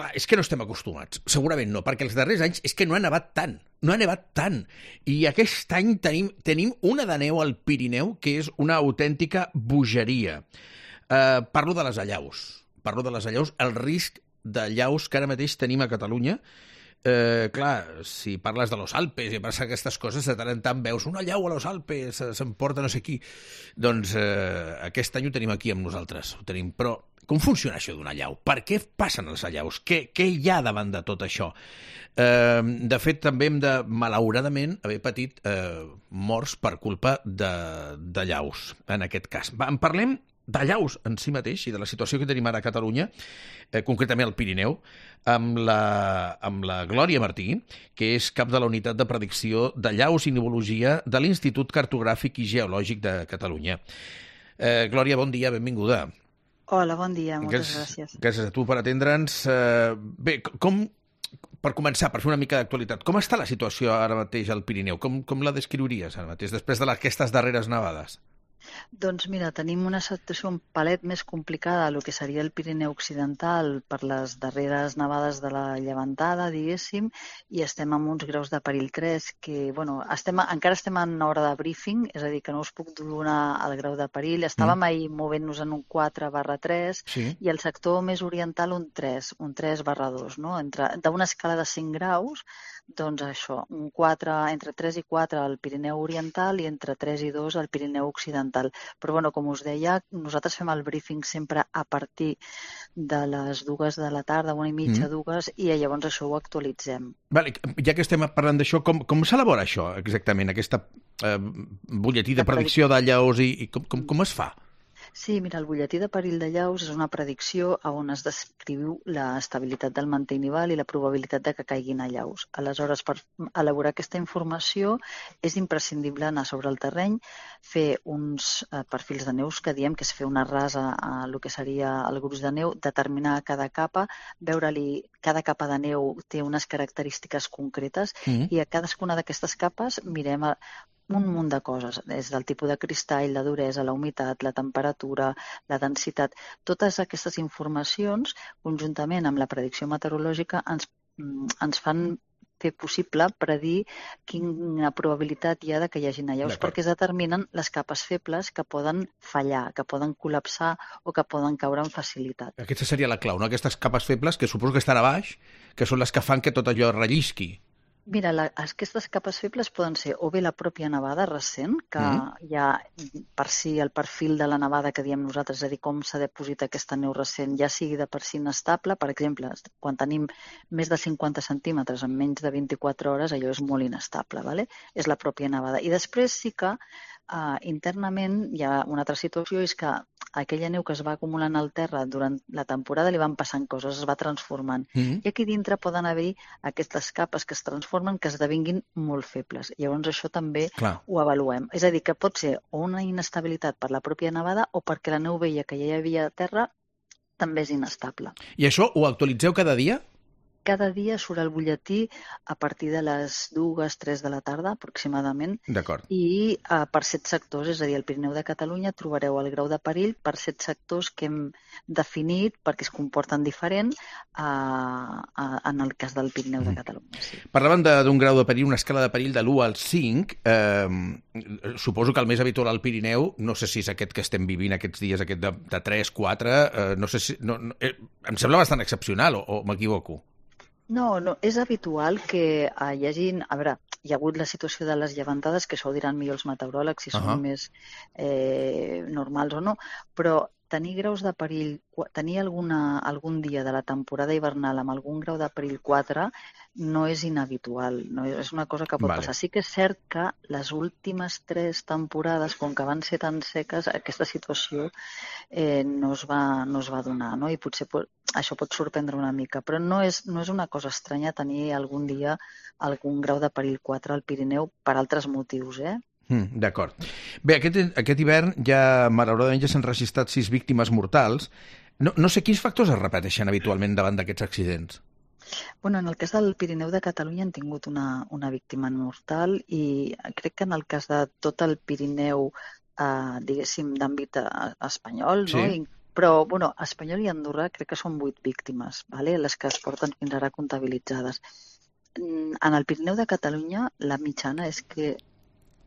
clar, és que no estem acostumats. Segurament no, perquè els darrers anys és que no ha nevat tant. No ha nevat tant. I aquest any tenim una de neu al Pirineu que és una autèntica bogeria. Parlo de les allaus. El risc d'allaus que ara mateix tenim a Catalunya. Clar, si parles de los Alpes i passa aquestes coses, de tant en tant veus una allau a los Alpes, s'emporta no sé qui. Doncs aquest any ho tenim aquí amb nosaltres. Ho tenim. Però com funciona això d'una allau? Per què passen els allaus? Què hi ha davant de tot això? De fet, també hem de, malauradament, haver patit morts per culpa d'allaus, en aquest cas. En parlem d'allaus en si mateix i de la situació que tenim ara a Catalunya, concretament al Pirineu, amb la Glòria Martí, que és cap de la unitat de predicció d'allaus i nivologia de l'Institut Cartogràfic i Geològic de Catalunya. Glòria, bon dia, benvinguda. Hola, bon dia, moltes gràcies. Gràcies a tu per atendre'ns. Bé, per començar, per fer una mica d'actualitat, com està la situació ara mateix al Pirineu? Com la descriuries ara mateix, després d'aquestes darreres nevades? Doncs mira, tenim una situació un palet més complicada del que seria el Pirineu Occidental per les darreres nevades de la llevantada, diguéssim, i estem amb uns graus de perill 3 que, bueno, encara estem en hora de briefing, és a dir, que no us puc donar el grau de perill. Estàvem ahir movent-nos en un 4/3 i el sector més oriental un 3/2, no? D'una escala de 5 graus, doncs això, un 4, entre 3 i 4 al Pirineu Oriental i entre 3 i 2 al Pirineu Occidental. Però, bueno, com us deia, nosaltres fem el briefing sempre a partir de les 2 de la tarda, 1:30, 2, i llavors això ho actualitzem. Vale, ja que estem parlant d'això, com s'elabora això exactament, aquesta butlletí de predicció d'allaus i com es fa? Sí, mira, el butlletí de perill d'allaus és una predicció on es descriu l'estabilitat del mantell nival i la probabilitat de que caiguin allaus. Aleshores, per elaborar aquesta informació és imprescindible anar sobre el terreny, fer uns perfils de neus que diem que és fer una rasa a el que seria el gruix de neu, determinar cada capa, veure-li cada capa de neu té unes característiques concretes i a cadascuna d'aquestes capes mirem un munt de coses, des del tipus de cristall, la duresa, la humitat, la temperatura, la densitat. Totes aquestes informacions, conjuntament amb la predicció meteorològica, ens fan fer possible predir quina probabilitat hi ha de que hi hagin allaus, perquè es determinen les capes febles que poden fallar, que poden col·lapsar o que poden caure amb facilitat. Aquesta seria la clau, no? Aquestes capes febles, que suposo que estan a baix, que són les que fan que tot allò rellisqui. Mira, aquestes capes febles poden ser o bé la pròpia nevada recent, que hi ha per si el perfil de la nevada que diem nosaltres, és a dir, com s'ha depositat aquesta neu recent, ja sigui de per si inestable. Per exemple, quan tenim més de 50 centímetres en menys de 24 hores, allò és molt inestable, ¿vale? És la pròpia nevada. I després sí que internament hi ha una altra situació, és que aquella neu que es va acumulant al terra durant la temporada li van passant coses, es va transformant. I aquí dintre poden haver aquestes capes que es transformen, que esdevinguin molt febles. Llavors això també ho avaluem. És a dir, que pot ser o una inestabilitat per la pròpia nevada o perquè la neu vella que ja hi havia a terra també és inestable. I això ho actualitzeu cada dia? Cada dia surt el butlletí a partir de les 2, 3 de la tarda, aproximadament. D'acord. I per 7 sectors, és a dir, al Pirineu de Catalunya trobareu el grau de perill per 7 sectors que hem definit perquè es comporten diferent en el cas del Pirineu de Catalunya. Sí. Parlaven d'un grau de perill, una escala de perill de l'1 al 5. Suposo que el més habitual al Pirineu, no sé si és aquest que estem vivint aquests dies, aquest de 3, 4, no sé si... em sembla bastant excepcional, o m'equivoco? No, és habitual que hi hagi... A veure, hi ha hagut la situació de les llevantades, que això ho diran millor els meteoròlegs, si són més normals o no, però tenir graus de perill, tenir algun dia de la temporada hivernal amb algun grau de perill 4 no és inhabitual, no és una cosa que pot passar. Sí que és cert que les últimes 3 temporades, com que van ser tan seques, aquesta situació no es va donar, no? I potser això pot sorprendre una mica, però no és una cosa estranya tenir algun dia algun grau de perill 4 al Pirineu per altres motius, D'acord. Bé, aquest hivern malauradament ja s'han registrat 6 víctimes mortals. No sé quins factors es repeteixen habitualment davant d'aquests accidents. Bueno, en el cas del Pirineu de Catalunya han tingut una víctima mortal i crec que en el cas de tot el Pirineu, diguéssim, d'àmbit espanyol, no? Però, bueno, a Espanyol i Andorra crec que són 8 víctimes, vale? Les que es porten fins ara comptabilitzades. En el Pirineu de Catalunya, la mitjana és que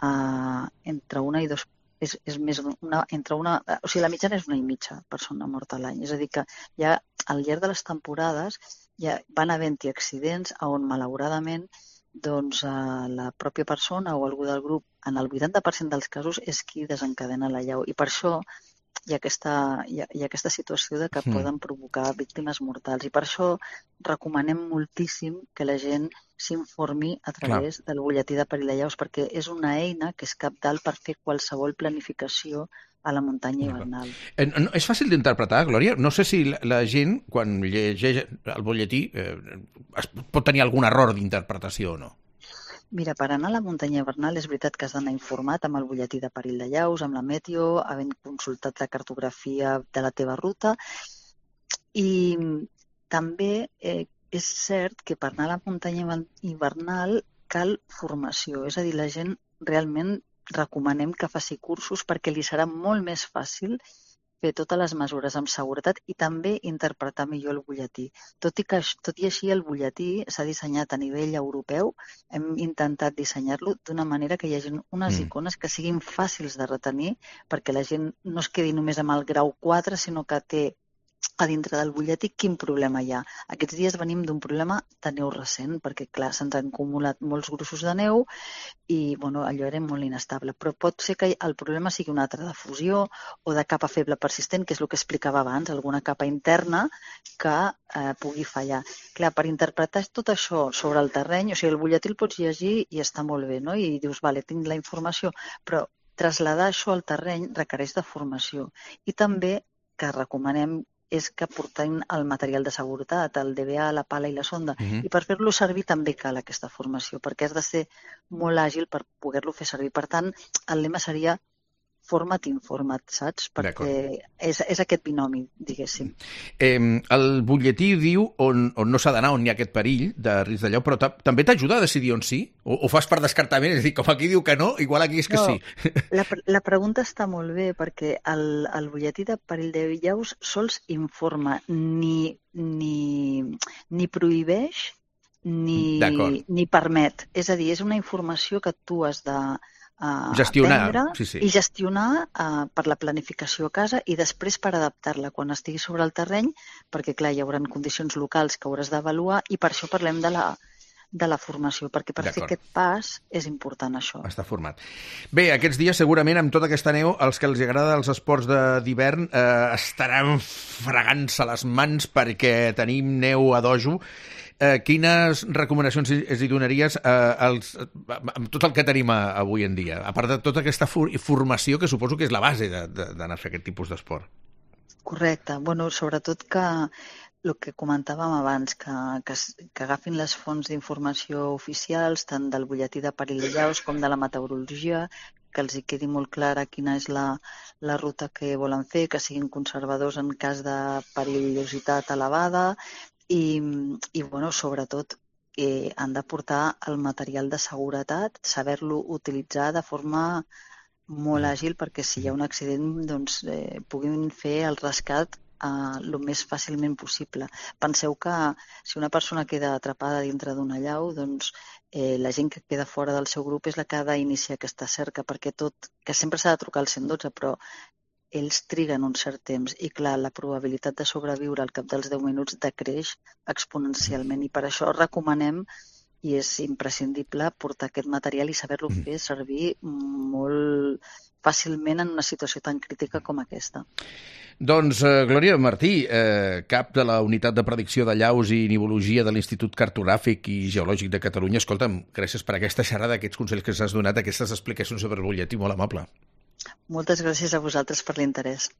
entre una i dos és més o sigui, la mitjana és 1,5 persona morta a l'any. És a dir, que ja al llarg de les temporades ja van havent-hi accidents on, malauradament, doncs la pròpia persona o algú del grup, en el 80% dels casos, és qui desencadena l'allau. I per això hi ha aquesta situació de que poden provocar víctimes mortals. I per això recomanem moltíssim que la gent s'informi a través del butlletí de perill d'allaus, perquè és una eina que és cabdal per fer qualsevol planificació a la muntanya hivernal. És fàcil d'interpretar, Glòria? No sé si la gent, quan llegeix el butlletí, pot tenir algun error d'interpretació o no. Mira, per anar a la muntanya hivernal és veritat que has d'anar informat amb el butlletí de perill d'allaus, amb la meteo, havent consultat la cartografia de la teva ruta, i també és cert que per anar a la muntanya hivernal cal formació, és a dir, la gent realment recomanem que faci cursos perquè li serà molt més fàcil fer totes les mesures amb seguretat i també interpretar millor el butlletí. Tot i així, el butlletí s'ha dissenyat a nivell europeu. Hem intentat dissenyar-lo d'una manera que hi hagi unes icones que siguin fàcils de retenir perquè la gent no es quedi només amb el grau 4, sinó que té a dintre del butlletí quin problema hi ha. Aquests dies venim d'un problema de neu recent, perquè, clar, se'ns han acumulat molts grossos de neu i, bueno, allò era molt inestable. Però pot ser que el problema sigui un altre de fusió o de capa feble persistent, que és el que explicava abans, alguna capa interna que pugui fallar. Clar, per interpretar tot això sobre el terreny, o sigui, el butlletí el pots llegir i està molt bé, no? I dius, vale, tinc la informació, però traslladar això al terreny requereix de formació. I també que recomanem és que portem el material de seguretat, el DBA, la pala i la sonda. I per fer-lo servir també cal aquesta formació, perquè has de ser molt àgil per poder-lo fer servir. Per tant, el lema seria forma't, informa't, saps? Perquè és aquest binomi, diguéssim. El butlletí diu on no s'ha d'anar, on hi ha aquest perill de risc d'allau, però també t'ajuda a decidir on sí? O fas per descartament? És a dir, com aquí diu que no, igual aquí és que sí. La pregunta està molt bé, perquè el butlletí de perill d'allaus sols informa, ni prohibeix ni permet. És a dir, és una informació que tu has de gestionar i gestionar per la planificació a casa i després per adaptar-la quan estigui sobre el terreny, perquè clar, hi haurà condicions locals que hauràs d'avaluar i per això parlem de la formació, perquè per fer aquest pas és important això. Està format. Bé, aquests dies segurament amb tota aquesta neu els que els agrada els esports d'hivern estaran fregant-se les mans perquè tenim neu a dojo. Quines recomanacions els hi donaries amb tot el que tenim avui en dia, a part de tota aquesta formació que suposo que és la base d'anar a fer aquest tipus d'esport? Correcte. Bueno, sobretot que el que comentàvem abans, que agafin les fonts d'informació oficials, tant del butlletí de perill d'allaus com de la meteorologia, que els hi quedi molt clara quina és la ruta que volen fer, que siguin conservadors en cas de perillositat elevada, i bueno, sobretot han de portar el material de seguretat, saber-lo utilitzar de forma molt àgil perquè si hi ha un accident doncs puguin fer el rescat el més fàcilment possible. Penseu que si una persona queda atrapada dintre d'un allau, doncs la gent que queda fora del seu grup és la que ha d'iniciar aquesta cerca, perquè que sempre s'ha de trucar al 112, però ells triguen un cert temps i, clar, la probabilitat de sobreviure al cap dels 10 minuts decreix exponencialment i per això recomanem i és imprescindible portar aquest material i saber-lo fer servir molt fàcilment en una situació tan crítica com aquesta. Doncs, Glòria Martí, cap de la Unitat de Predicció d'Allaus i Nivologia de l'Institut Cartogràfic i Geològic de Catalunya, escolta'm, gràcies per aquesta xerrada, aquests consells que ens has donat, aquestes explicacions sobre el butlletí, molt amable. Moltes gràcies a vosaltres per l'interès.